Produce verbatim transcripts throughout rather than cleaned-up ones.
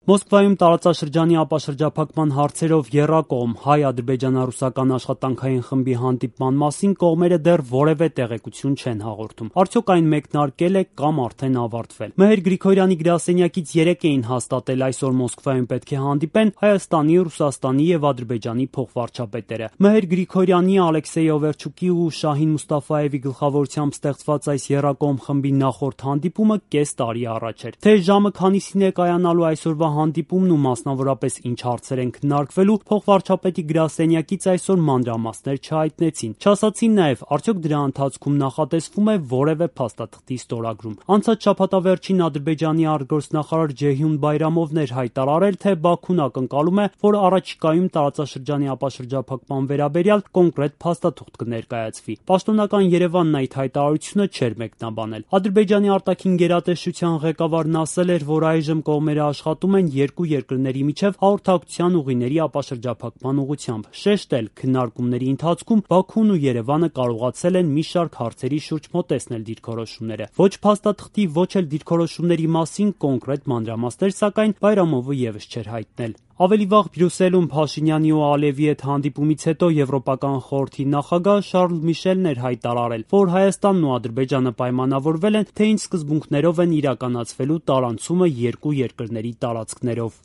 Մոսկվայում տարածաշրջանի ապաշրջափակման հարցերով եռակողմ հայ-ադրբեջանա-ռուսական աշխատանքային խմբի հանդիպման մասին կողմերը դեռ որևէ տեղեկություն չեն հաղորդում։ Արդյոք այն մեկնարկել է կամ արդեն ավարտվել։ Մեհեր Գրիգորյանի գրասենյակից երեկ էին հաստատել այսօր Մոսկվայում պետք է հանդիպեն Հայաստանի, Ռուսաստանի եւ Ադրբեջանի փոխվարչապետերը։ Մեհեր Գրիգորյանի, Ալեքսեյ Օվերչուկի ու Շահին Մուստաֆաևի գլխավորությամբ ստեղծված այս եռակողմ խմբի նախորդ հանդիպումը կես տարի առաջ էր։ Թե ժամը քանիսին է կայանալու այսօրվա հանդիպումն ու մասնավորապես ինչ հարցեր են քննարկվելու, փոխվարչապետի գրասենյակից այսօր մանրամասներ չհայտնեցին։ Չասացին նաև, արդյոք դրա ընթացքում նախատեսվում է որևէ փաստաթղթի ստորագրում։ Անցած շաբաթավերջին Ադրբեջանի արտգործնախարար Ջեյհուն Բայրամովն էր հայտարարել, թե Բաքուն ակնկալում է, որ առաջիկայում տարածաշրջանի ապաշրջափակման վերաբերյալ կոնկրետ փաստաթուղթ կներկայացվի։ Պաշտոնական Երևանն այդ հայտարարությունը չէր մեկնաբանել։ Ադրբեջանի արտաքին գերատեսչության ղեկավարն ասել էր, որ այժմ կողմերը աշխատում են երկու երկրների միջև հաղորդակցության ուղիների ապաշրջափակման ուղղությամբ։ Շեշտել, քննարկումների ընթացքում Բաքուն ու Երևանը կարողացել են մի շարք հարցերի շուրջ մոտեցնել դիրքորոշումները։ Ոչ փաստաթղթի, ոչ էլ դիրքորոշումների մասին կոնկրետ մանրամասներ, սակայն Բայրամովը ևս չէր հայտնել։ Ավելի վաղ Բրյուսելում Փաշինյանի ու Ալիևի հետ հանդիպումից հետո Եվրոպական խորհրդի նախագահ Շարլ Միշելն էր հայտարարել, որ Հայաստանն ու Ադրբեջանը պայմանավորվել են, թե ինչ սկզբունքներով են իրականացվելու տարանցումը երկու երկրների տարածքներով։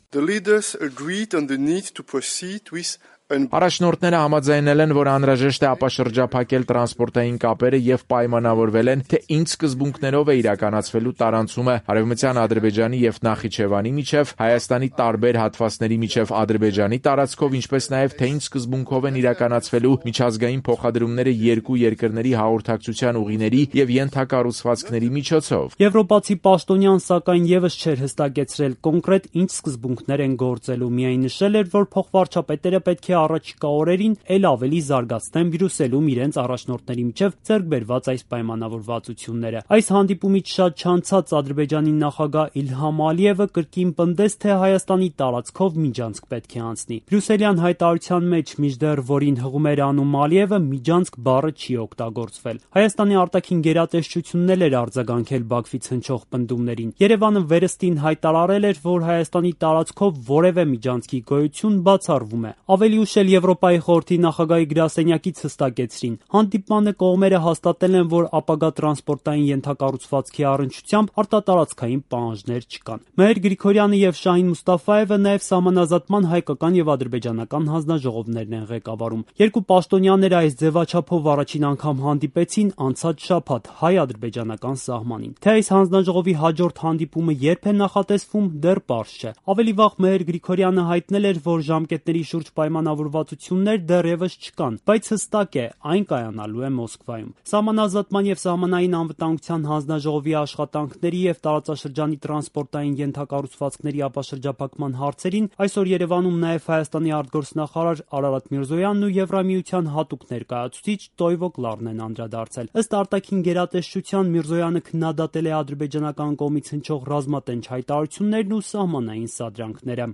Առաջնորդները համաձայնել են, որ անհրաժեշտ է ապաշրջափակել տրանսպորտային կապերը եւ պայմանավորվել են, թե ինչ սկզբունքներով է իրականացվելու տարանցումը Արևմտյան Ադրբեջանի եւ Նախիջևանի միջև, Հայաստանի տարբեր հատվածների միջև Ադրբեջանի տարածքով, ինչպես նաեւ թե ինչ սկզբունքով են իրականացվելու միջազգային փոխադրումները երկու երկրների հաղորդակցության ուղիների եւ ենթակառուցվածքների միջոցով։ Եվրոպացի պաշտոնյան սակայն ևս չէր հստակեցրել կոնկրետ ինչ սկզբունքներ են գործելու, միայն նշել էր, որ փոխվարչապետերը պետք է առաջիկա օրերին էլ ավելի զարգացնեն Բրյուսելում իրենց առաջնորդների միջև ձեռք բերված այս պայմանավորվածությունները։ Այս հանդիպումից շատ չանցած Ադրբեջանի նախագահ Իլհամ Ալիևը կրկին պնդեց, թե Հայաստանի տարածքով միջանցք պետք է անցնի։ Բրյուսելյան հայտարարության մեջ, մինչդեռ որին հղում էր անում Ալիևը, միջանցք բառը չի օգտագործվել։ Հայաստանի արտաքին գերատեսչությունն էլ էր արձագանքել Բաքվից հնչող պնդումներին։ Երևանը վերստին հայտարարել էր, որ Հայաստանի տարածքով որևէ միջանցքի գոյություն բացառվում է։ Ավելի ուշ էլ Եվրոպայի խորհրդի նախագահի գրասենյակից հստակեցրին, հանդիպմանը կողմերը հաստատել են, որ ապագա տրանսպորտային ենթակառուցվածքի առնչությամբ արտատարածքային պահանջներ չկան։ Մեհեր Գրիգորյանը եւ Շահին Մուստաֆաևը նաեւ սահմանազատման հայկական եւ ադրբեջանական հանձնաժողովներն են ղեկավարում։ Երկու պաշտոնյաները այս ձևաչափով առաջին անգամ հանդիպեցին անցած շաբաթ հայ-ադրբեջանական սահմանին։ Թե այս հանձնաժողովի հաջորդ հանդիպումը երբ է նախատեսվում, դեռ պարզ չէ։ Ավելի վաղ Մեհեր Գրիգորյանը հայտնել էր, որ ժամկետների շուրջ պայմանավորվածություններ դեռևս չկան, բայց հստակ է, այն կայանալու է Մոսկվայում։ Սահմանազատման եւ սահմանային անվտանգության հանձնաժողովի աշխատանքների եւ տարածաշրջանի տրանսպորտային ենթակառուցվածքների ապաշրջափակման հարցերին այսօր Երևանում նաեւ Հայաստանի արտգործնախարար Արարատ Միրզոյանն ու Եվրամիության հատուկ ներկայացուցիչ Տոյվո Կլարն են անդրադարձել։ Ըստ արտաքին գերատեսչության Միրզոյանը քննադատել է ադրբեջանական կողմից հնչող ռազմատենչ հայտարարություններն ու սահմանային սադրանքները։